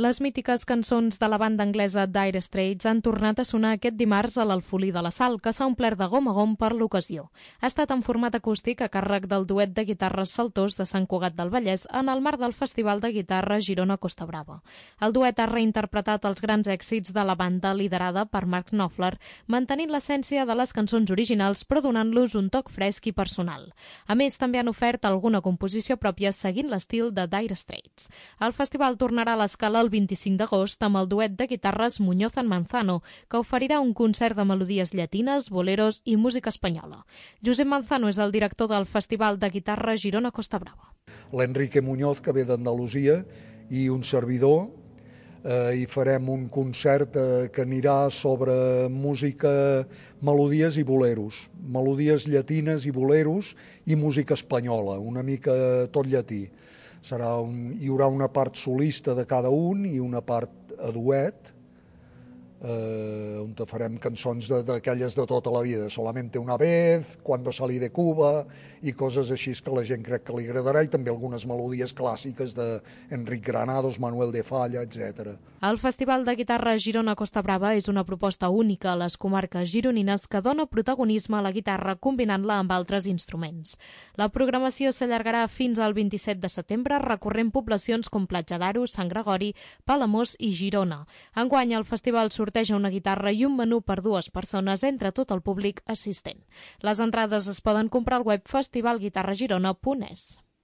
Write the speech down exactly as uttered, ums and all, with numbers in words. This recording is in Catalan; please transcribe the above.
Les mítiques cançons de la banda anglesa Dire Straits han tornat a sonar aquest dimarts a l'Alfolí de la Sal, que s'ha omplert de gom a gom per l'ocasió. Ha estat en format acústic a càrrec del duet de guitarres Saltós de Sant Cugat del Vallès en el marc del Festival de Guitarra Girona Costa Brava. El duet ha reinterpretat els grans èxits de la banda liderada per Mark Knopfler, mantenint l'essència de les cançons originals però donant-los un toc fresc i personal. A més, també han ofert alguna composició pròpia seguint l'estil de Dire Straits. El festival tornarà a l'escala el vint-i-cinc d'agost amb el duet de guitarres Muñoz and Manzano, que oferirà un concert de melodies llatines, boleros i música espanyola. Josep Manzano és el director del Festival de Guitarra Girona Costa Brava. L'Enrique Muñoz, que ve d'Andalusia, i un servidor, eh, i farem un concert eh, que anirà sobre música, melodies i boleros, melodies llatines i boleros i música espanyola, una mica tot llatí. Serà un, hi haurà una part solista de cada un i una part a duet, eh, on farem cançons d'aquelles de, de tota la vida, Solamente una vez, Cuando salí de Cuba i coses així que la gent crec que li agradarà, i també algunes melodies clàssiques d'Enric Granados, Manuel de Falla, etcètera. El Festival de Guitarra Girona Costa Brava és una proposta única a les comarques gironines que dona protagonisme a la guitarra combinant-la amb altres instruments. La programació s'allargarà fins al vint-i-set de setembre recorrent poblacions com Platja d'Aro, Sant Gregori, Palamós i Girona. Enguany el festival sorteja una guitarra i un menú per dues persones entre tot el públic assistent. Les entrades es poden comprar al web festival guitarra girona punt es.